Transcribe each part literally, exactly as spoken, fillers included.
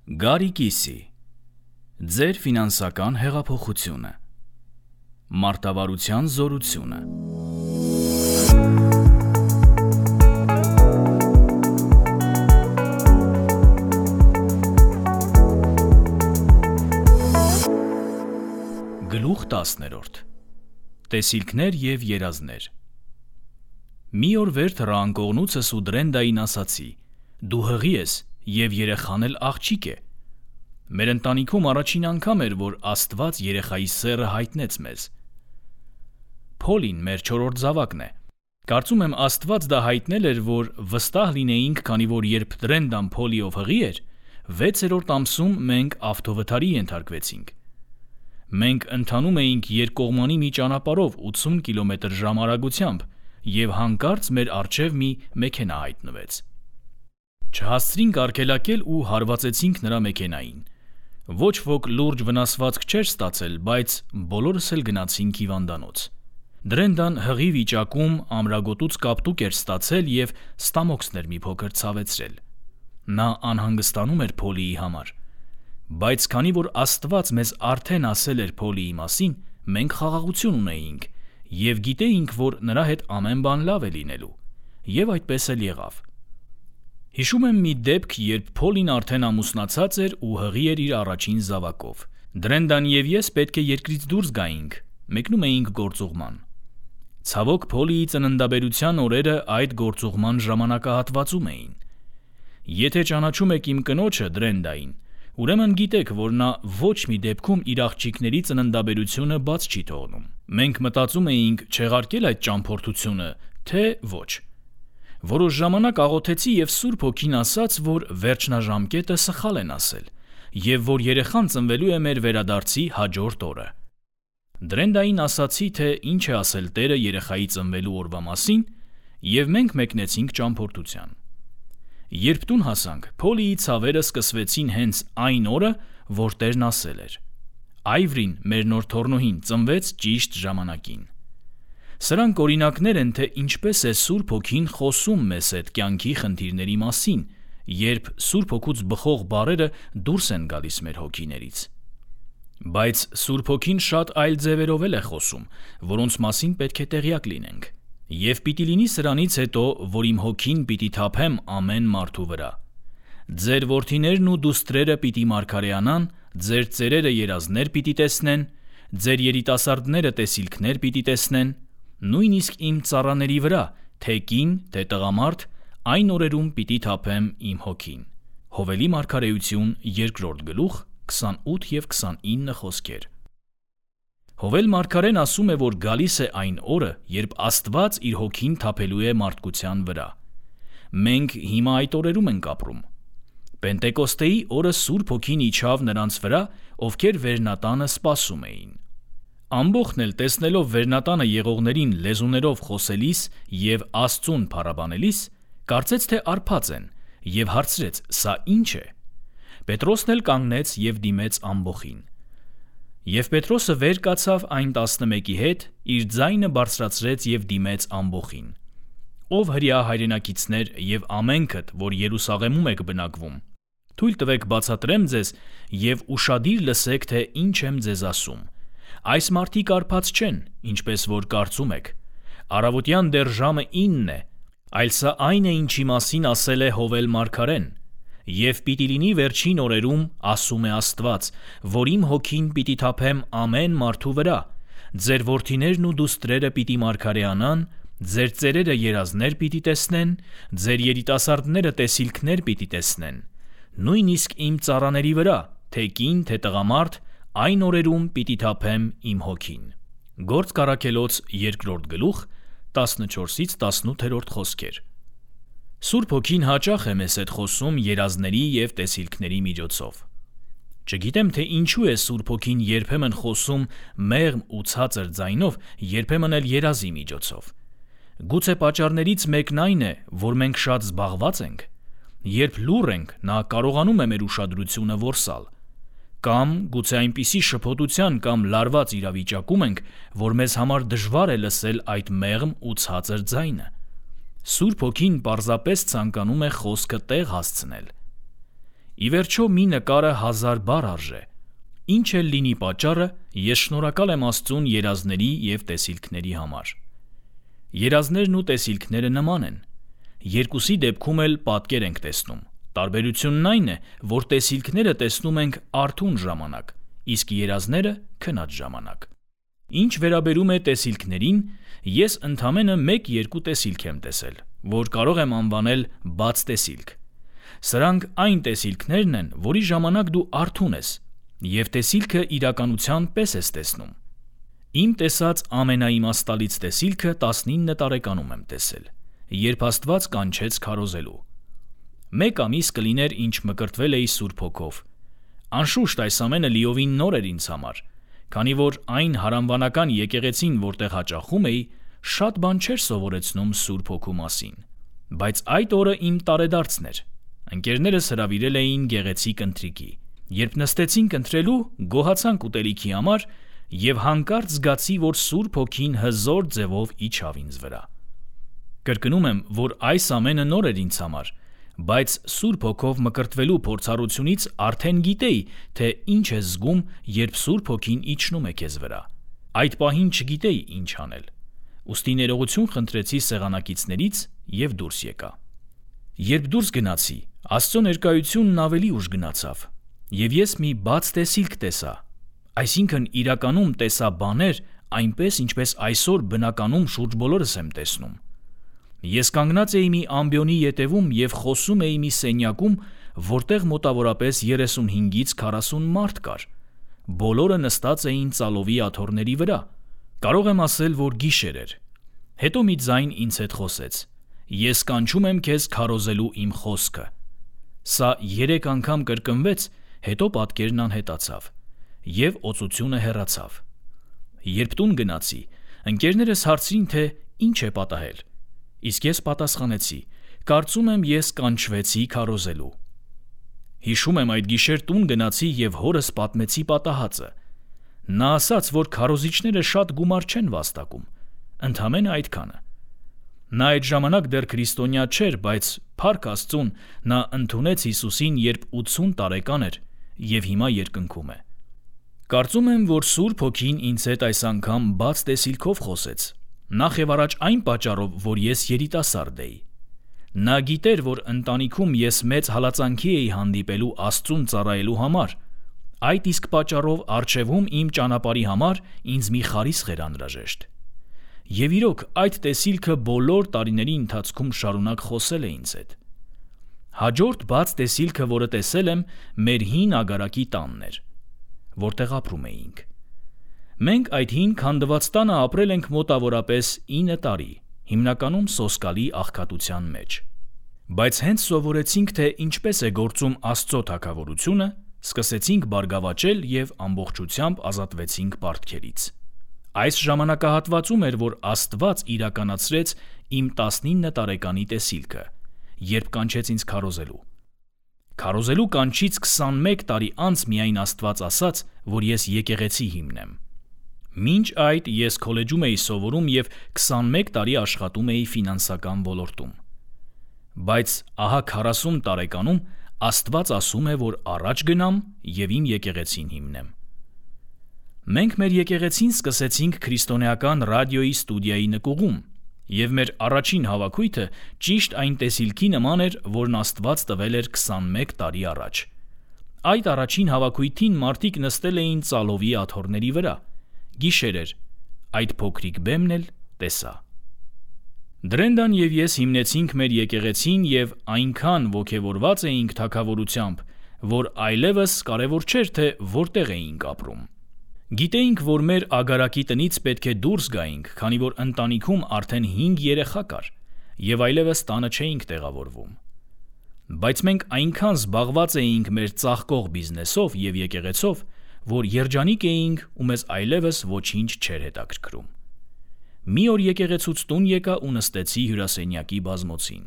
Գարի կիսի, ձեր ֆինանսական հեղափոխությունը, մարտավարության զորությունը։ Գլուխ տասներորդ, տեսիլքներ և երազներ։ Մի օր վեր թռանկողնուցս ու Դրենդային ասացի, դու հղի ես և երեխան էլ աղջիկ է։ Մեր ընտանիքում առաջին անգամ էր, որ Աստված երեխայի սեռը հայտնեց մեզ։ Փոլին մեր չորրորդ զավակն է։ Կարծում եմ Աստված դա հայտնել էր, որ վստահ լինեինք, քանի որ երբ Դրենդան Փոլիով հղի էր, վեցերորդ ամսում մենք ավտովթարի ենթարկվեցինք։ Մենք ընթանում էինք երկկողմանի մի ճանապարհով ութսուն կիլոմետր ժամ արագությամբ և հանկարծ մեր առջև մի մեքենա հայտնվեց։ Չհասցրինք արգելակել ու հարվածեցինք նրա մեքենային։ Ոչ ոք լուրջ վնասվածք չէր ստացել, բայց բոլորս էլ գնացինք հիվանդանոց։ Դրենդան հղի վիճակում ամրագոտուց կապտուկ էր ստացել և ստամոքսներ մի փոքր ցավեցրել։ Նա անհանգստանում էր Փոլիի համար։ Բայց քանի որ Աստված մեզ արդեն ասել էր Փոլիի մասին, մենք խաղաղություն ունեինք և գիտեինք, որ նրա հետ ամեն բան լավ է լինելու։ Եվ այդպես էլ եղավ։ Հիշում եմ մի դեպք, երբ Փոլին արդեն ամուսնացած էր ու հղի էր իր առաջին զավակով։ Դրենդան և ես պետք է երկրից դուրս գայինք, մեկնում էինք գործուղման։ Ցավոք, Փոլիի ծննդաբերության օրերը այդ գործուղման ժամանակահատվածում էին։ Եթե ճանաչում եք իմ կնոջը Դրենդային, ուրեմն գիտեք, որ նա ոչ մի դեպքում իր աղջիկների ծննդաբերությունը բաց չի թողնում։ Մենք մտածում էինք չեղարկել այդ ճամփորդությունը, թե ոչ։ Որոշ ժամանակ աղոթեցի և Սուրբ Հոգին ասաց, որ վերջնաժամկետը սխալ են ասել և որ երեխան ծնվելու է մեր վերադարձի հաջորդ օրը։ Դրենդային ասացի, թե ինչ է ասել Տերը երեխայի ծնվելու օրվա մասին, և մենք մեկնեցինք ճամփորդության։ Երբ տուն հասանք, Փոլիի ցավերը սկսվեցին հենց այն օրը, որ Տերն ասել էր։ Այվրին, մեր նոր թոռնուհին, ծնվեց ճիշտ ժամանակին։ Սրանք օրինակներ են, թե ինչպես է Սուրբ Հոգին խոսում մեզ հետ կյանքի խնդիրների մասին, երբ Սուրբ Հոգուց բխող բառերը դուրս են գալիս մեր հոգիներից։ Բայց Սուրբ Հոգին շատ այլ ձևերով էլ է խոսում, որոնց մասին պետք է տեղյակ լինենք։ Եվ պիտի լինի սրանից հետո, որ իմ հոգին պիտի թափեմ ամեն մարդու վրա։ Ձեր որդիներն ու դուստրերը պիտի մարգարեանան, ձեր ծերերը երազներ պիտի տեսնեն, ձեր երիտասարդները տեսիլքներ պիտի տեսնեն, նույնիսկ իմ ծառաների վրա, թե կին, թե տղամարդ, այն օրերում պիտի թափեմ իմ հոգին։ Հովելի մարգարեություն երկրորդ գլուխ քսանութ և քսանինը խոսքեր։ Հովել մարգարեն ասում է, որ գալիս է այն օրը, երբ Աստված իր հոգին թափելու է մարդկության վրա։ Մենք հիմա այդ օրերում ենք ապրում։ Պենտեկոստեի օրը Սուրբ Հոգին իջավ նրանց վրա, ովքեր վերնատանը սպասում էին։ Ամբողջն էլ տեսնելով վերնատանը եղողներին լեզուներով խոսելիս և Աստծուն փառաբանելիս, կարծեց, թե արբած են, և հարցրեց. «Սա ի՞նչ է»։ Պետրոսն էլ կանգնեց և դիմեց ամբոխին։ Եվ Պետրոսը վեր կացավ այն տասնմեկի հետ, իր ձայնը բարձրացրեց և դիմեց ամբոխին. «Ով հրեա հայրենակիցներ և ամենքդ, որ Երուսաղեմում եք բնակվում, թույլ տվեք բացատրեմ ձեզ և ուշադիր լսեք, թե ինչ եմ ձեզ ասում։ Այս մարդիկ արբած չեն, ինչպես որ կարծում եք։ Առավոտյան դեռ ժամը ինն է, այլ սա այն է, ինչի մասին ասել է Հովել մարգարեն։ Եվ պիտի լինի վերջին օրերում, ասում է Աստված, որ իմ հոգին պիտի թափեմ ամեն մարդու վրա, ձեր որդիներն ու դուստրերը պիտի մարգարեանան, ձեր ծերերը երազներ պիտի տեսնեն, ձեր երիտասարդները տեսիլքներ պիտի տեսնեն, նույնիսկ իմ ծառաների վրա, թե կին, թե տղամարդ, այն օրերում պիտի թափեմ իմ հոգին»։ Գործք առաքելոց երկրորդ գլուխ տասնչորսից տասնութերորդ խոսքեր։ Սուրբ Հոգին հաճախ է մեզ հետ խոսում երազների և տեսիլքների միջոցով։ Չգիտեմ, թե ինչու է Սուրբ Հոգին երբեմն խոսում մեղմ ու ցածր ձայնով, երբեմն էլ երազի միջոցով։ Գուցե պատճառներից մեկն այն է, որ մենք շատ զբաղված ենք։ Երբ լուռ ենք, նա կարողանում է մեր ուշադրությունը որսալ։ Կամ գուցե այնպիսի շփոթության կամ լարված իրավիճակում ենք, որ մեզ համար դժվար է լսել այդ մեղմ ու ցածր ձայնը։ Սուրբ Հոգին պարզապես ցանկանում է խոսքը տեղ հասցնել։ ի վերջո մի նկարը հազար բառ արժե։ Ինչ էլ լինի պատճառը, ես շնորհակալ եմ Աստծուն երազների և տեսիլքների համար։ Երազներն ու տեսիլքները նման են։ Երկուսի դեպքում էլ պատկեր ենք տեսնում։ Տարբերությունն այն է, որ տեսիլքները տեսնում ենք արթուն ժամանակ, իսկ երազները քնած ժամանակ։ Ինչ վերաբերում է տեսիլքներին, ես ընդամենը մեկ-երկու տեսիլք եմ տեսել, որ կարող եմ անվանել բաց տեսիլք։ Սրանք այն տեսիլքներն են, որի ժամանակ դու արթուն ես, և տեսիլքը իրականության պես ես տեսնում։ Իմ տեսած ամենաիմաստալից տեսիլքը տասնինը տարեկանում եմ տեսել, երբ Աստված կանչեց քարոզելու։ Մեկ ամիս կլիներ, ինչ մկրտվել էի Սուրբ Հոգով։ Անշուշտ այս ամենը լիովին նոր էր ինձ համար, քանի որ այն հարանվանական եկեղեցին, որտեղ հաճախում էի, շատ բան չէր սովորեցնում Սուրբ Հոգու մասին։ Բայց այդ օրը իմ տարեդարձն էր։ Ընկերներս հրավիրել էին գեղեցիկ ընթրիքի։ Երբ նստեցինք ընթրելու, գոհացանք ուտելիքի համար և հանկարծ զգացի, որ Սուրբ Հոգին հզոր ձևով իջավ ինձ վրա։ Կրկնում եմ, որ այս ամենը նոր էր ինձ համար, բայց Սուրբ Հոգով մկրտվելու փորձառությունից արդեն գիտեի, թե ինչ ես զգում, երբ Սուրբ Հոգին իջնում է քեզ վրա։ Այդ պահին չգիտեի ինչ անել։ Ուստի ներողություն խնդրեցի սեղանակիցներից և դուրս եկա։ Երբ դուրս գնացի, Աստծո ներկայությունն ավելի ուշ գնացավ, և ես մի բաց տեսիլք տեսա, այսինքն իրականում տեսա բաներ, այնպես ինչպես այսօր բնականում շուրջ բոլորս եմ տեսնում։ Ես կանգնած էի մի ամբիոնի ետևում և խոսում էի մի սենյակում, որտեղ մոտավորապես երեսունհինգից քառասուն մարդ կար։ Բոլորը նստած էին ծալովի աթոռների վրա։ Կարող եմ ասել, որ գիշեր էր։ Հետո մի ձայն ինձ հետ խոսեց. «Ես կանչում եմ քեզ քարոզելու իմ խոսքը»։ Սա երեք անգամ կրկնվեց, հետո պատկերն անհետացավ, և օծությունը հեռացավ։ Երբ տուն գնացի, ընկերներս հարցրին, թե ինչ է պատահել, իսկ ես պատասխանեցի. կարծում եմ ես կանչվեցի քարոզելու։ Հիշում եմ, այդ գիշեր տուն գնացի և հորս պատմեցի պատահածը։ Նա ասաց, որ քարոզիչները շատ գումար չեն վաստակում, ընդամենը այդքանը։ Նա այդ ժամանակ դեռ քրիստոնյա չէր, բայց փառք Աստծուն, նա ընդունեց Հիսուսին, երբ ութսուն տարեկան էր, և հիմա երկնքում է։ Կարծում եմ, որ Սուրբ Հոգին ինձ հետ այս անգամ բաց տեսիլքով խոսեց, նախ և առաջ այն պատճառով, որ ես երիտասարդ էի։ Նա գիտեր, որ ընտանիքում ես մեծ հալածանքի էի հանդիպելու Աստծուն ծառայելու համար, այդ իսկ պատճառով առջևում իմ ճանապարհի համար ինձ մի խարիսխ էր անհրաժեշտ։ Եվ իրոք, այդ տեսիլքը բոլոր տարիների ընթացքում շարունակ խոսել է ինձ հետ։ Հաջորդ բաց տեսիլքը, որը տեսել եմ, մեր հին ագարակի տանն էր, որտեղ ապրում էինք։ Մենք այդ հին քանդված տանը ապրել ենք մոտավորապես ինը տարի, հիմնականում սոսկալի աղքատության մեջ։ Բայց հենց սովորեցինք, թե ինչպես է գործում Աստծո թագավորությունը, սկսեցինք բարգավաճել և ամբողջությամբ ազատվեցինք պարտքերից։ Այս ժամանակահատվածում էր, որ Աստված իրականացրեց իմ տասնինը տարեկանի տեսիլքը, երբ կանչեց ինձ քարոզելու։ Քարոզելու կանչից քսանմեկ տարի անց միայն Աստված ասաց, որ ես եկեղեցի հիմնեմ։ Մինչ այդ ես քոլեջում էի սովորում և քսանմեկ տարի աշխատում էի ֆինանսական ոլորտում։ Բայց ահա քառասուն տարեկանում Աստված ասում է, որ առաջ գնամ և իմ եկեղեցին հիմնեմ։ Մենք մեր եկեղեցին սկսեցինք քրիստոնեական ռադիոյի ստուդիայի նկուղում, և մեր առաջին հավաքույթը ճիշտ այն տեսիլքի նման էր, որն Աստված տվել էր քսանմեկ տարի առաջ։ Այդ առաջին հավաքույթին մարդիկ նստել էին ծալովի աթոռների վրա։ Գիշեր էր, այդ փոքրիկ բեմն էլ տեսա։ Դրենդան և ես հիմնեցինք մեր եկեղեցին և այնքան ոգևորված էինք թագավորությամբ, որ այլևս կարևոր չէր, թե որտեղ էինք ապրում։ Գիտեինք, որ մեր ագարակի տնից պետք է դուրս գայինք, քանի որ ընտանիքում արդեն հինգ երեխա կար, և այլևս տանը չէինք տեղավորվում։ Բայց մենք այնքան զբաղված էինք մեր ծաղկող բիզնեսով և եկեղեցով, որ երջանիկ էինք ու մեզ այլևս ոչինչ չէր հետաքրքրում։ Մի օր եկեղեցուց տուն եկա ու նստեցի հյուրասենյակի բազմոցին։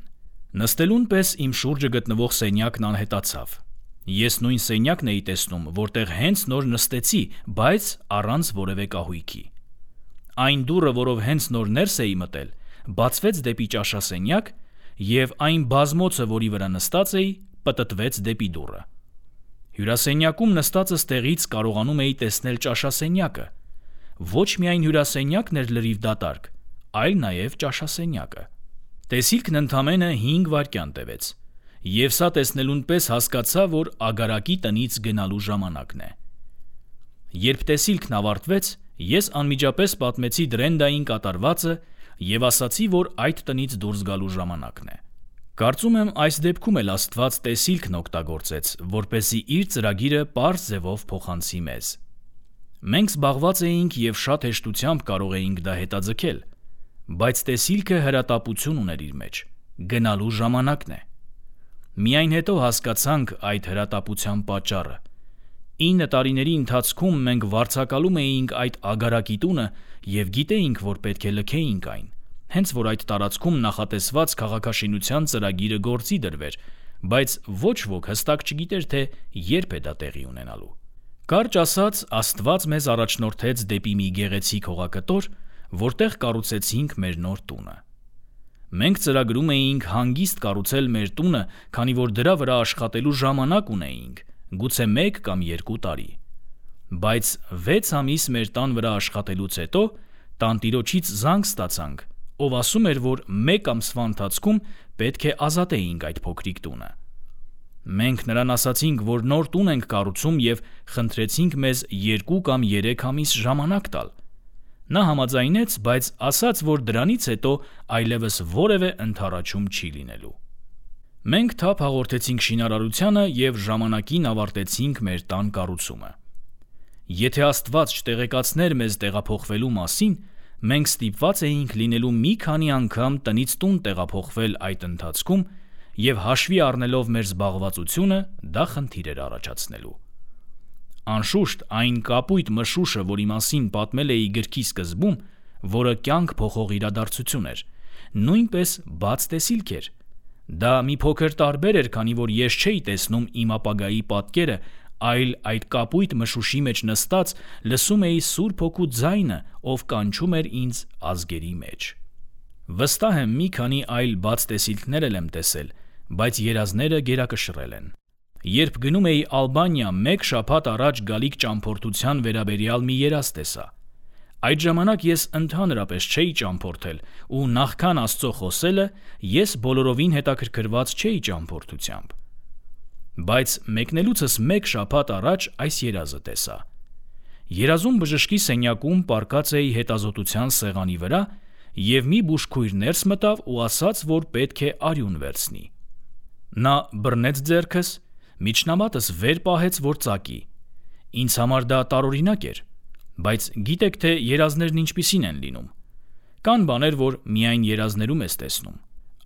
Նստելուն պես իմ շուրջը գտնվող սենյակն անհետացավ։ Ես նույն սենյակն էի տեսնում, որտեղ հենց նոր նստեցի, բայց առանց որևէ կահույքի։ Այն դուռը, որով հենց նոր ներս էի մտել, բացվեց դեպի ճաշասենյակ, և այն բազմոցը, որի վրա նստած էի, պտտվեց դեպի դուռը։ Հյուրասենյակում նստածս տեղից կարողանում էի տեսնել ճաշասենյակը։ Ոչ միայն հյուրասենյակն էր լրիվ դատարկ, այլ նաև ճաշասենյակը։ Տեսիլքն ընդամենը հինգ վայրկյան տևեց, և սա տեսնելուն պես հասկացա, որ ագարակի տնից գնալու ժամանակն է։ Երբ տեսիլքն ավարտվեց, ես անմիջապես պատմեցի Դրենդային կատարվածը և ասացի, որ այդ տնից դուրս գալու ժամանակն է։ Կարծում եմ, այս դեպքում էլ Աստված տեսիլքն օգտագործեց, որպեսզի իր ծրագիրը պարզ ձևով փոխանցի մեզ։ Մենք զբաղված էինք և շատ հեշտությամբ կարող էինք դա հետաձգել, բայց տեսիլքը հրատապություն ուներ իր մեջ, գնալու ժամանակն է։ Միայն հետո հասկացանք այդ հրատապության պատճառը։ Ինը տարիների ընթացքում մենք վարձակալում էինք այդ ագարակի տունը և գիտեինք, որ պետք է լքեինք այն, հենց որ այդ տարածքում նախատեսված քաղաքաշինության ծրագիրը գործի դրվեր, բայց ոչ ոք հստակ չգիտեր, թե երբ է դա տեղի ունենալու։ Կարճ ասած, Աստված մեզ առաջնորդեց դեպի մի գեղեցիկ հողակտոր, որտեղ կառուցեցինք մեր նոր տունը։ Մենք ծրագրում էինք հանգիստ կառուցել մեր տունը, քանի որ դրա վրա աշխատելու ժամանակ ունեինք, գուցե մեկ կամ երկու տարի։ Բայց վեց ամիս մեր տան վրա աշխատելուց հետո տանտիրոջից զանգ ստացանք, ով ասում էր, որ մեկ ամսվա ընթացքում պետք է ազատեինք այդ փոքրիկ տունը։ Մենք նրան ասացինք, որ նոր տուն ենք կառուցում և խնդրեցինք մեզ երկու կամ երեք ամիս ժամանակ տալ։ Նա համաձայնեց, բայց ասաց, որ դրանից հետո այլևս որևէ ընդառաջում չի լինելու։ Մենք թափ հաղորդեցինք շինարարությանը և ժամանակին ավարտեցինք մեր տան կառուցումը։ Եթե Աստված չտեղեկացներ մեզ տեղափոխվելու մասին, մենք ստիպված էինք լինելու մի քանի անգամ տնից տուն տեղափոխվել այդ ընթացքում և հաշվի առնելով մեր զբաղվածությունը, դա խնդիր էր առաջացնելու։ Անշուշտ, այն կապույտ մշուշը, որի մասին պատմել էի գրքի սկզբում, որը կյանք փոխող իրադարձություն էր, նույնպես բաց տեսիլք էր։ Դա մի փոքր տարբեր էր, քանի որ ես չէի տեսնում իմ ապագայի պատկերը, այլ այդ կապույտ մշուշի մեջ նստած լսում էի Սուրբ Հոգու ձայնը, ով կանչում էր ինձ ազգերի մեջ։ Վստահ եմ, մի քանի այլ բաց տեսիլքներ էլ եմ տեսել, բայց երազները գերակշռել են։ Երբ գնում էի Ալբանիա, մեկ շաբաթ առաջ գալիք ճամփորդության վերաբերյալ մի երազ տեսա։ Այդ ժամանակ ես ընդհանրապես չէի ճամփորդել, ու նախքան Աստծո խոսելը, ես բոլորովին հետաքրքրված չէի ճամփորդությամբ։ Բայց մեկնելուցս մեկ շաբաթ առաջ այս երազը տեսա։ Երազում բժշկի սենյակում պառկած էի հետազոտության սեղանի վրա, և մի բուժքույր ներս մտավ ու ասաց, որ պետք է արյուն վերցնի։ Նա բռնեց ձեռքս, միջնամատս վեր պահեց, որ ծակի։ Ինձ համար դա տարօրինակ էր, բայց գիտեք, թե երազներն ինչպիսին են լինում։ Կան բաներ, որ միայն երազներում ես տեսնում։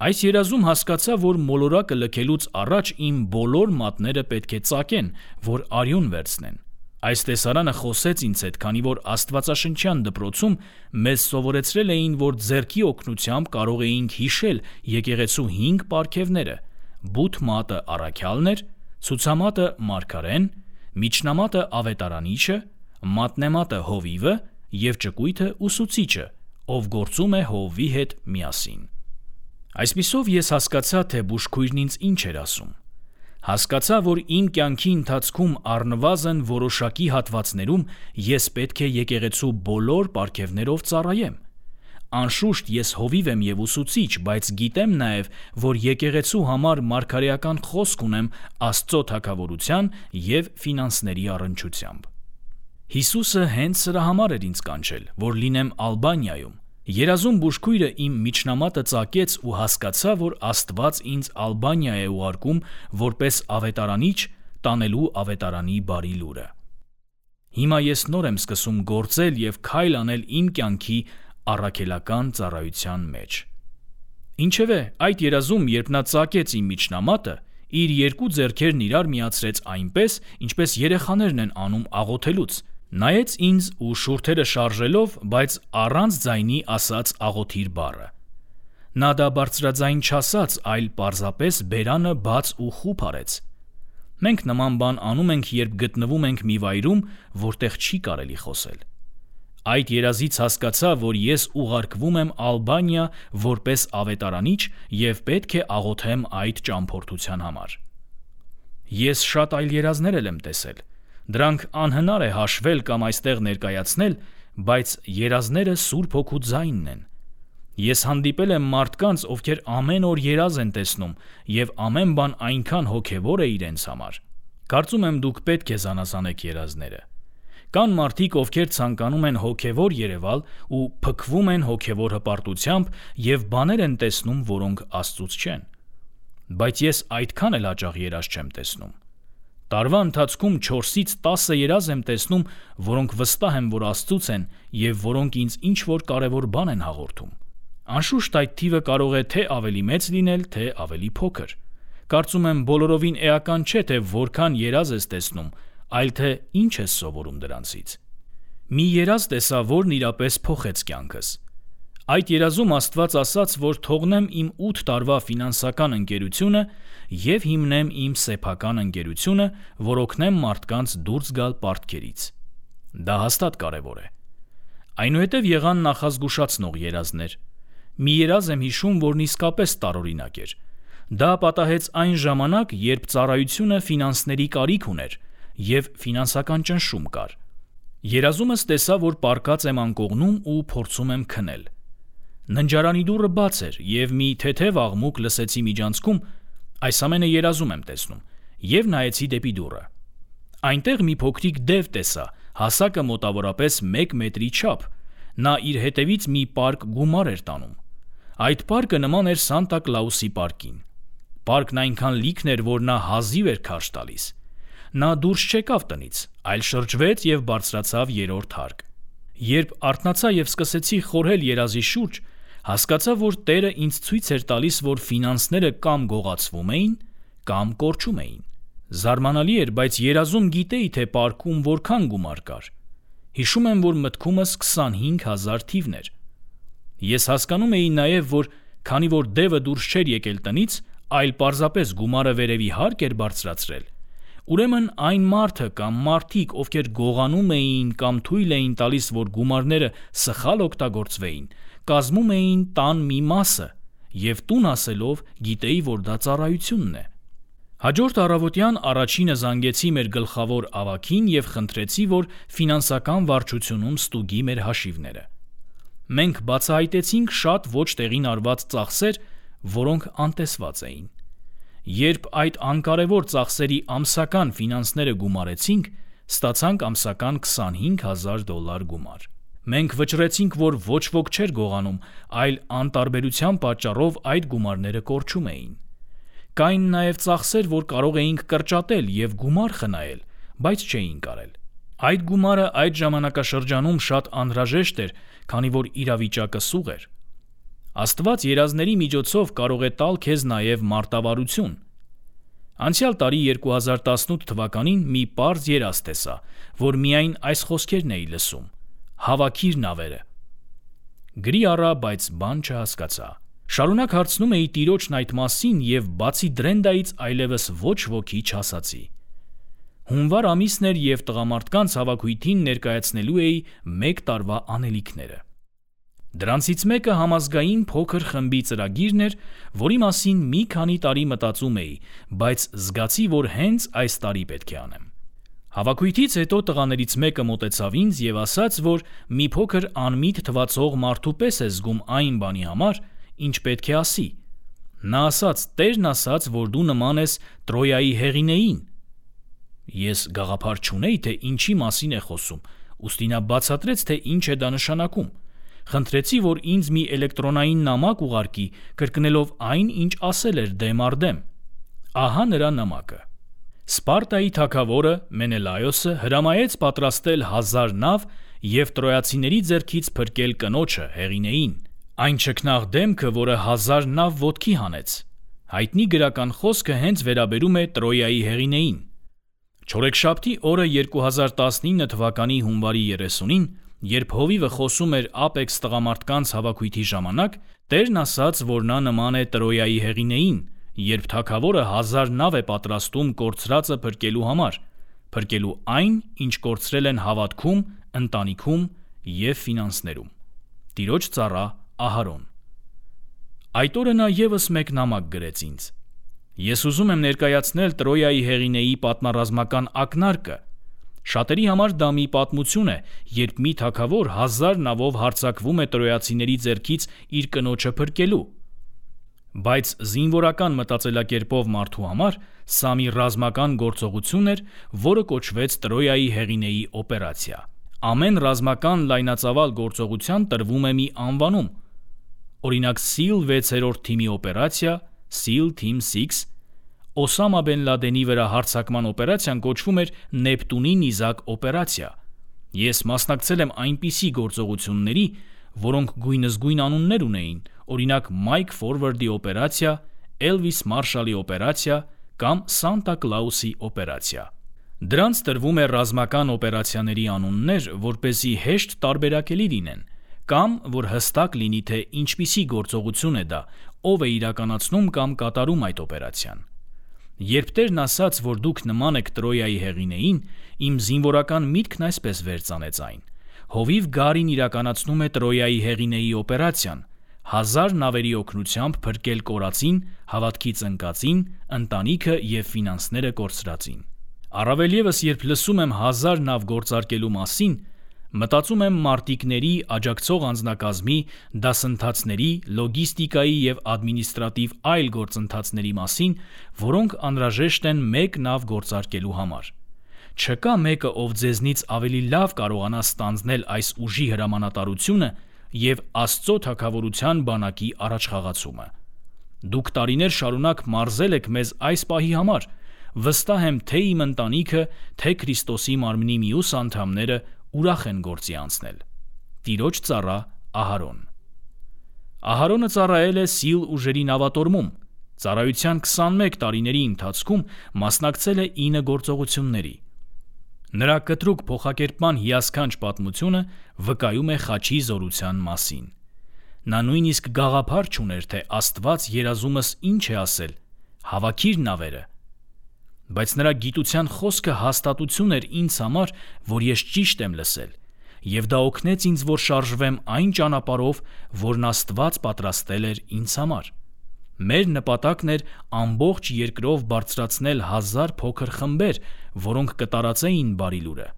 Այս երազում հասկացա, որ մոլորակը լքելուց առաջ իմ բոլոր մատները պետք է ծակեն, որ արյուն վերցնեն։ Այս տեսարանը խոսեց ինձ հետ, քանի որ աստվածաշնչյան դպրոցում մեզ սովորեցրել էին, որ ձեռքի օգնությամբ կարող էինք հիշել եկեղեցու հինգ պարգևները՝ բութ մատը առաքյալն էր, ցուցամատը մարգարեն, միջնամատը ավետարանիչը, մատնեմատը հովիվը և ճկույթը ուսուցիչը, ով գործում է հովվի հետ միասին։ Այսպիսով ես հասկացա, թե բուժքույրն ինձ ինչ էր ասում։ Հասկացա, որ իմ կյանքի ընթացքում առնվազն որոշակի հատվածներում ես պետք է եկեղեցու բոլոր պարգևներով ծառայեմ։ Անշուշտ ես հովիվ եմ և ուսուցիչ, բայց գիտեմ նաև, որ եկեղեցու համար մարգարեական խոսք ունեմ Աստծո թագավորության և ֆինանսների առնչությամբ։ Հիսուսը հենց սրա համար էր ինձ կանչել, որ լինեմ Ալբանիայում։ Երազում բուժքույրը իմ միջնամատը ծակեց ու հասկացա, որ Աստված ինձ Ալբանիա է ուղարկում որպես ավետարանիչ տանելու ավետարանի բարի լուրը։ Հիմա ես նոր եմ սկսում գործել և քայլ անել իմ կյանքի առաքելական ծառայության մեջ։ Ինչևէ, այդ երազում, երբ նա ծակեց իմ միջնամատը, իր երկու ձեռքերն իրար միացրեց այնպես, ինչպես երեխաներն են անում աղոթելուց, նայեց ինձ ու շուրթերը շարժելով, բայց առանց ձայնի ասաց աղոթիր բառը։ Նա դա բարձրաձայն չասաց, այլ պարզապես բերանը բաց ու խուփ արեց։ Մենք նման բան անում ենք, երբ գտնվում ենք մի վայրում, որտեղ չի կարելի խոսել։ Այդ երազից հասկացա, որ ես ուղարկվում եմ Ալբանիա որպես ավետարանիչ և պետք է աղոթեմ այդ ճամփորդության համար։ Ես շատ այլ երազներ եմ տեսել։ Դրանք անհնար է հաշվել կամ այստեղ ներկայացնել, բայց երազները Սուրբ Հոգու ձայնն են։ Ես հանդիպել եմ մարդկանց, ովքեր ամեն օր երազ են տեսնում և ամեն բան այնքան հոգևոր է իրենց համար։ Կարծում եմ դուք պետք է զանազանեք երազները։ Կան մարդիկ, ովքեր ցանկանում են հոգևոր երևալ ու փքվում են հոգևոր հպարտությամբ և բաներ են տեսնում, որոնք Աստծուց չեն։ Բայց ես այդքան էլ հաճախ երազ չեմ տեսնում։ Տարվա ընթացքում չորսից տասը երազ եմ տեսնում, որոնք վստահ եմ, որ Աստծուց են և որոնք ինձ ինչ-որ կարևոր բան են հաղորդում։ Անշուշտ այդ թիվը կարող է թե ավելի մեծ լինել, թե ավելի փոքր։ Կարծում եմ բոլորովին էական չէ, թե որքան երազ ես տեսնում, այլ թե ինչ ես սովորում դրանցից։ Մի երազ տեսա, որն իրապես փոխեց կյանքս։ Այդ երազում Աստված ասաց, որ թողնեմ իմ ութ տարվա ֆինանսական ընկերությունը և հիմնեմ իմ սեփական ընկերությունը, որ օգնեմ մարդկանց դուրս գալ պարտքերից։ Դա հաստատ կարևոր է։ Այնուհետև եղան նախազգուշացնող երազներ։ Մի երազ եմ հիշում, որն իսկապես տարօրինակ էր։ Դա պատահեց այն ժամանակ, երբ ծառայությունը ֆինանսների կարիք ուներ և ֆինանսական ճնշում կար։ Երազումս տեսա, որ պառկած եմ անկողնում ու փորձում եմ քնել։ Ննջարանի դուռը բաց էր և մի թեթև աղմուկ լսեցի միջանցքում, այս ամենը երազում եմ տեսնում, և նայեցի դեպի դուռը։ Այնտեղ մի փոքրիկ դև տեսա, հասակը մոտավորապես մեկ մետրի չափ։ Նա իր հետևից մի պարկ գումար էր տանում։ Այդ պարկը նման էր Սանտա Կլաուսի պարկին։ Պարկն այնքան լիքն էր, որ նա հազիվ էր քարշ տալիս։ Նա դուրս չեկավ տնից, այլ շրջվեց և բարձրացավ երրորդ հարկ։ Երբ արթնացա և սկսեցի խորհել երազի շուրջ, հասկացա, որ Տերը ինձ ցույց էր տալիս, որ ֆինանսները կամ գողացվում էին, կամ կորչում էին։ Զարմանալի էր, բայց երազում գիտեի, թե պարկում որքան գումար կար։ Հիշում եմ, որ մտքումս քսանհինգ հազար թիվն էր։ Ես հասկանում էի նաև, որ քանի որ դևը դուրս չէր եկել տնից, այլ պարզապես գումարը վերևի հարկ էր բարձրացրել, ուրեմն այն մարդը կամ մարդիկ, ովքեր գողանում էին կամ թույլ էին տալիս, որ գումարները սխալ օգտագործվեին, կազմում էին տան մի մասը, և տուն ասելով գիտեի, որ դա ծառայությունն է։ Հաջորդ առավոտյան առաջինը զանգեցի մեր գլխավոր ավագին և խնդրեցի, որ ֆինանսական վարչությունում ստուգի մեր հաշիվները։ Մենք բացահայտեցինք շատ ոչ տեղին արված ծախսեր, որոնք անտեսված էին։ Երբ այդ անկարևոր ծախսերի ամսական ֆինանսները գումարեցինք, ստացանք ամսական քսանհինգ հազար դոլար գումար։ Մենք վճռեցինք, որ ոչ ոք չէր գողանում, այլ անտարբերության պատճառով այդ գումարները կորչում էին։ Կային նաև ծախսեր, որ կարող էինք կրճատել և գումար խնայել, բայց չէինք արել։ Այդ գումարը այդ ժամանակաշրջանում շատ անհրաժեշտ էր, քանի որ իրավիճակը սուղ էր։ Աստված երազների միջոցով կարող է տալ քեզ նաև մարտավարություն։ Անցյալ տարի երկու հազար տասնութ թվականին մի պարզ երազ տեսա, որ միայն այս խոսքերն էի լսում. «Հավաքիր նավերը»։ Գրի առա, բայց բան չհասկացա։ Շարունակ հարցնում էի Տիրոջն այդ մասին և բացի Դրենդայից այլևս ոչ ոքի չասացի։ Հունվար ամիսն էր և տղամարդկանց հավաքույթին ներկայացնելու էի մեկ տարվա անելիքները։ Դրանցից մեկը համազգային փոքր խմբի ծրագիրն էր, որի մասին մի քանի տարի մտածում էի, բայց զգացի, որ հենց այս տարի պետք է անեմ։ Հավաքույթից հետո տղաներից մեկը մոտեցավ ինձ և ասաց, որ մի փոքր անմիտ թվացող մարդու պես է զգում այն բանի համար, ինչ պետք է ասի։ Նա ասաց. «Տերն ասաց, որ դու նման ես Տրոյայի հեղինեին»։ Ես գաղափար չունեի, թե ինչի մասին է խոսում, ուստի նա բացատրեց, թե ինչ է դա նշանակում։ Խնդրեցի, որ ինձ մի էլեկտրոնային նամակ ուղարկի, կրկնելով այն, ինչ ասել էր դեմ առ դեմ։ Ահա նրա նամակը։ Սպարտայի թագավորը Մենելայոսը հրամայեց պատրաստել հազար նավ և տրոյացիների ձեռքից փրկել կնոջը հեղինեին, այն չքնաղ դեմքը, որը հազար նավ ոտքի հանեց։ Հայտնի գրական խոսքը հենց վերաբերում է Տրոյայի հեղինեին։ Չորեքշաբթի օրը երկու հազար տասնինը թվականի հունվարի երեսունին, երբ հովիվը խոսում էր Apex տղամարդկանց հավաքույթի ժամանակ, Տերն ասաց, որ նա նման է Տրոյայի հեղինեին, երբ թագավորը հազար նավ է պատրաստում կորցրածը փրկելու համար, փրկելու այն, ինչ կորցրել են հավատքում, ընտանիքում և ֆինանսներում։ Տիրոջ ծառա Ահարոն։ Այդ օրը նա ևս մեկ նամակ գրեց ինձ։ Ես ուզում եմ ներկայացնել Տրոյայի հեղինեի պատմառազմական ակնարկը։ Շատերի համար դա մի պատմություն է, երբ մի թագավոր հազար նավով հարձակվում է տրոյացիների ձեռքից իր կնոջը փրկելու։ Բայց զինվորական մտածելակերպով մարդու համար սա մի ռազմական գործողություն էր, որը կոչվեց Տրոյայի հեղինեի օպերացիա։ Ամեն ռազմական լայնածավալ գործողության տրվում է մի անվանում։ Օրինակ Սիլ վեցերորդ թիմի օպերացիա, Seal Team շեշ, Օսամա Բեն Լադենի վրա հարձակման օպերացիան կոչվում էր Նեպտունի նիզակ օպերացիա։ Ես մասնակցել եմ այնպիսի գործողությունների, որոնք գույնզգույն անուններ ունեին, օրինակ Mike Forward-ի օպերացիա, Elvis Marshall-ի օպերացիա կամ Santa Claus-ի օպերացիա։ Դրանց տրվում է ռազմական օպերացիաների անուններ, որպեսզի հեշտ տարբերակելի լինեն, կամ որ հստակ լինի, թե ինչպիսի գործողություն է դա, ով է իրականացնում կամ կատարում այդ օպերացիան։ Երբ Տերն ասաց, որ դուք նման եք Տրոյայի հեղինեին, իմ զինվորական միտքն այսպես վերծանեց այն. հովիվ գարին իրականացնում է Տրոյայի հեղինեի օպերացիան, հազար նավերի օգնությամբ փրկել կորածին, հավատքից ընկածին, ընտանիքը և ֆինանսները կորցրածին։ Առավել ևս, երբ լսում եմ հազար նավ գործարկելու մասին, մտածում եմ մարտիկների, աջակցող անձնակազմի, դասընթացների, լոգիստիկայի և ադմինիստրատիվ այլ գործընթացների մասին, որոնք անհրաժեշտ են մեկ նավ գործարկելու համար։ Չկա մեկը, ով ձեզնից ավելի լավ կարողանա ստանձնել այս ուժի հրամանատարությունը և Աստծո թագավորության բանակի առաջխաղացումը։ Դուք տարիներ շարունակ մարզել եք մեզ այս պահի համար, վստահ եմ, թե իմ ընտանիքը, թե Քրիստոսի մարմնի մյուս անդամները ուրախ են գործի անցնել։ Տիրոջ ծառա Ահարոն։ Ահարոնը ծառայել է Սիլ ուժերի նավատորմում։ Ծառայության քսանմեկ տարիների ընթացքում մասնակցել է ինը գործողությունների։ Նրա կտրուկ փոխակերպման հիասքանչ պատմությունը վկայում է խաչի զորության մասին։ Նա նույնիսկ գաղափար չուներ, թե Աստված երազումս ինչ է ասել՝ հավաքիր նավերը։ Բայց նրա գիտության խոսքը հաստատություն էր ինձ համար, որ ես ճիշտ եմ լսել, և դա օգնեց ինձ, որ շարժվեմ այն ճանապարհով, որն Աստված պատրաստել էր ինձ համար։ Մեր նպատակն էր ամբողջ երկրով բարձրացնել հազար փոքր խմբեր, որոնք կտարածեին Բարի լուրը։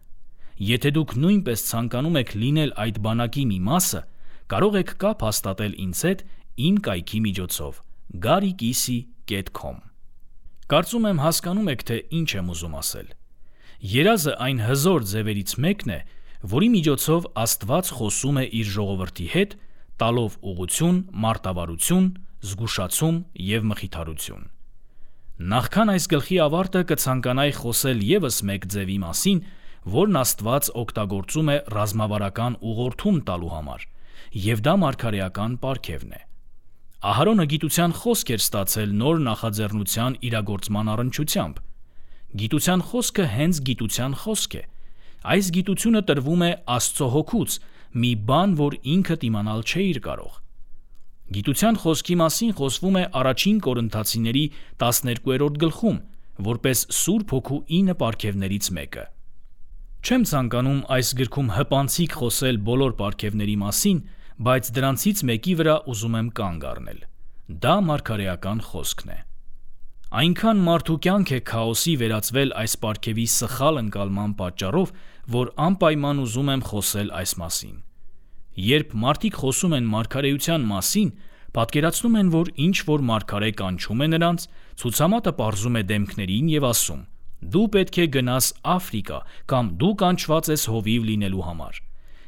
Եթե դուք նույնպես ցանկանում եք լինել այդ բանակի մի մասը, կարող եք կապ հաստատել ինձ հետ իմ կայքի միջոցով գարի կիսի կետ քոմ։ Կարծում եմ հասկանում եք, թե ինչ եմ ուզում ասել։ Երազը այն հզոր ձևերից մեկն է, որի միջոցով Աստված խոսում է իր ժողովրդի հետ, տալով ուղղություն, մարտավարություն, զգուշացում և մխիթարություն։ Նախքան այս գլխի ավարտը կցանկանայի խոսել ևս մեկ ձևի մասին, որն Աստված օգտագործում է ռազմավարական ուղղորդում տալու համար, և դա մարգարեական պարգևն է։ Ահարոնը գիտության խոսք էր ստացել նոր նախաձեռնության իրագործման առնչությամբ։ Գիտության խոսքը հենց գիտության խոսք է։ Այս գիտությունը տրվում է Աստծո հոգուց, մի բան, որ ինքդ իմանալ չէիր կարող։ Գիտության խոսքի մասին խոսվում է առաջին Կորինթացիների տասներկուերորդ գլխում, որպես Սուրբ Հոգու ինը պարգևներից մեկը։ Չեմ ցանկանում այս գրքում հպանցիկ խոսել բոլոր պարգևների մասին, բայց դրանցից մեկի վրա ուզում եմ կանգ առնել։ Դա մարգարեական խոսքն է։ Այնքան մարդու կյանք է քաոսի վերածվել այս պարգևի սխալ ընկալման պատճառով, որ անպայման ուզում եմ խոսել այս մասին։ Երբ մարդիկ խոսում են մարգարեության մասին, պատկերացնում են, որ ինչ-որ մարգարե կանչում է նրանց, ցուցամատը պարզում է դեմքներին և ասում. «Դու պետք է գնաս Աֆրիկա» կամ «Դու կանչված ես հովիվ լինելու համար»։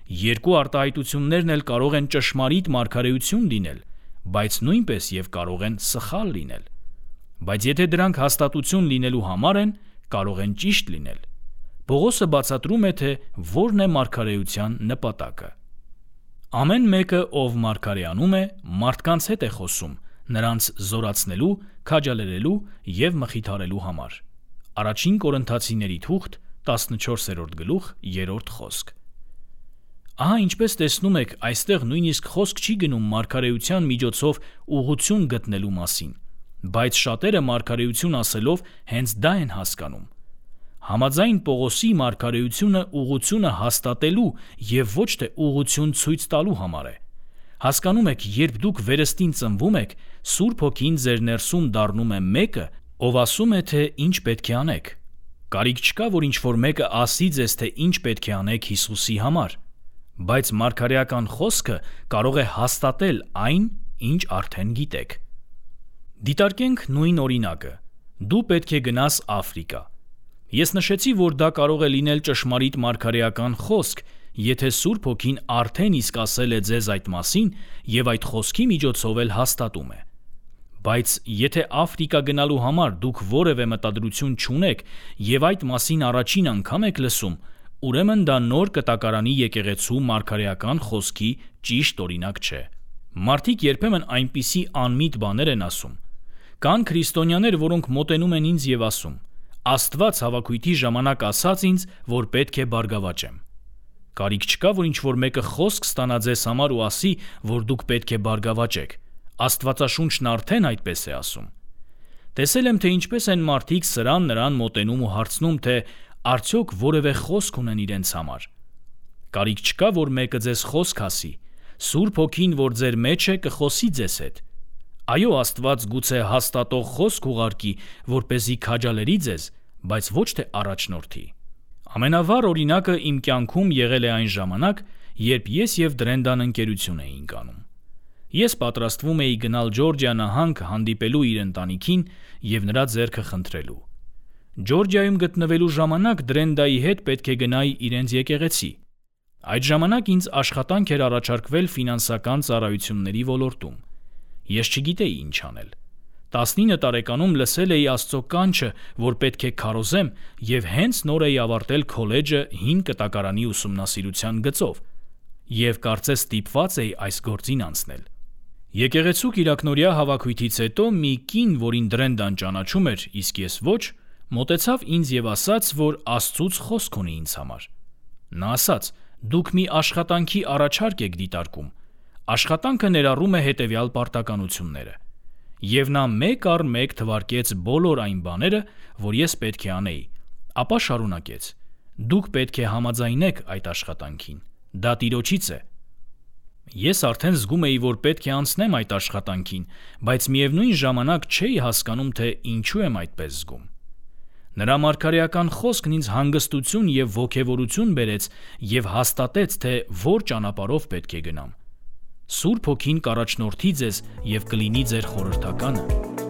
Երկու արտահայտություններն էլ կարող են ճշմարիտ մարգարեություն լինել, բայց նույնպես և կարող են սխալ լինել։ Բայց եթե դրանք հաստատություն լինելու համար են, կարող են ճիշտ լինել։ Պողոսը բացատրում է, թե որն է մարգարեության նպատակը։ Ամեն մեկը, ով մարգարեանում է, մարդկանց հետ է խոսում, նրանց զորացնելու, քաջալերելու և մխիթարելու համար։ Առաջին Կորինթացիների թուղթ տասնչորսերորդ գլուխ երրորդ խոսք։ Ահա ինչպես տեսնում եք, այստեղ նույնիսկ խոսք չի գնում մարգարեության միջոցով ուղղություն գտնելու մասին, բայց շատերը մարգարեություն ասելով հենց դա են հասկանում։ Համաձայն Պողոսի մարգարեությունը ուղղությունը հաստատելու և ոչ թե ուղղություն ցույց տալու համար է։ Հասկանում եք, երբ դուք վերստին ծնվում եք, Սուրբ Հոգին ձեր ներսում դառնում է մեկը, ով ասում է, թե ինչ պետք է անեք։ Կարիք չկա, որ ինչ-որ մեկը ասի ձեզ, թե ինչ պետք է անեք Հիսուսի համար, բայց մարգարեական խոսքը կարող է հաստատել այն, ինչ արդեն գիտեք։ Դիտարկենք նույն օրինակը։ Դու պետք է գնաս Աֆրիկա։ Ես նշեցի, որ դա կարող է լինել ճշմարիտ մարգարեական խոսք, եթե Սուրբ Հոգին արդեն իսկ ասել է ձեզ այդ մասին և այդ խոսքի միջոցով էլ հաստատում է։ Բայց եթե Աֆրիկա գնալու համար դուք որևէ մտադրություն չունեք և այդ մասին առաջին անգամ եք լսում, ուրեմն դա նոր կտակարանի եկեղեցու մարգարեական խոսքի ճիշտ օրինակ չէ։ Մարդիկ երբեմն այնպիսի անմիտ բաներ են ասում։ Կան քրիստոնյաներ, որոնք մոտենում են ինձ և ասում. «Աստված հավաքույթի ժամանակ ասաց ինձ, որ պետք է բարգավաճեմ»։ Կարիք չկա, որ ինչ-որ մեկը խոսք ստանա ձեզ համար ու ասի, որ դուք պետք է բարգավաճեք։ Աստվածաշունչն արդեն այդպես է ասում։ Տեսել եմ, թե ինչպես են մարդիկ սրան նրան մոտենում ու հարցնում, թե արդյոք որևէ խոսք ունեն իրենց համար։ Կարիք չկա, որ մեկը ձեզ խոսք ասի։ Սուրբ Հոգին, որ ձեր մեջ է, կխոսի ձեզ հետ։ Այո, Աստված գուցե հաստատող խոսք ուղարկի, որպեսզի քաջալերի ձեզ, բայց ոչ թե առաջնորդի։ Ամենավառ օրինակը իմ կյանքում եղել է այն ժամանակ, երբ ես և Դրենդան ընկերություն էինք անում։ Ես պատրաստվում էի գնալ Ջորջիա նահանգ հանդիպելու իր ընտանիքին և նրա ձեռքը խնդրելու։ Ջորջիայում գտնվելու ժամանակ Դրենդայի հետ պետք է գնայի իրենց եկեղեցի։ Այդ ժամանակ ինձ աշխատանք էր առաջարկվել ֆինանսական ծառայությունների ոլորտում։ Ես չգիտեի ինչ անել։ տասնինը տարեկանում լսել էի Աստծո կանչը, որ պետք է քարոզեմ, և հենց նոր էի ավարտել քոլեջը հին կտակարանի ուսումնասիրության գծով, և կարծես ստիպված էի այս գործին անցնել։ Եկեղեցու կիրակնօրյա հավաքույթից հետո մի կին, որին Դրենդան ճանաչում էր, իսկ ես ոչ, մոտեցավ ինձ և ասաց, որ Աստծուց խոսք ունի ինձ համար։ Նա ասաց. «Դուք մի աշխատանքի առաջարկ եք դիտարկում։ Աշխատանքը ներառում է հետևյալ պարտականությունները»։ Եվ նա մեկ առ մեկ թվարկեց բոլոր այն բաները, որ ես պետք է անեի, ապա շարունակեց. «Դուք պետք է համաձայնեք այդ աշխատանքին։ Դա Տիրոջից է»։ Ես արդեն զգում էի, որ պետք է անցնեմ այդ աշխատանքին, բայց միևնույն ժամանակ չէի հասկանում, թե ինչու եմ այդպես զգում։ Նրա մարգարեական խոսքն ինձ հանգստություն և ոգևորություն բերեց և հաստատեց, թե որ ճանապարհով պետք է գնամ։ Սուրբ Հոգին կառաջնորդի ձեզ և կլինի ձեր խորհրդականը։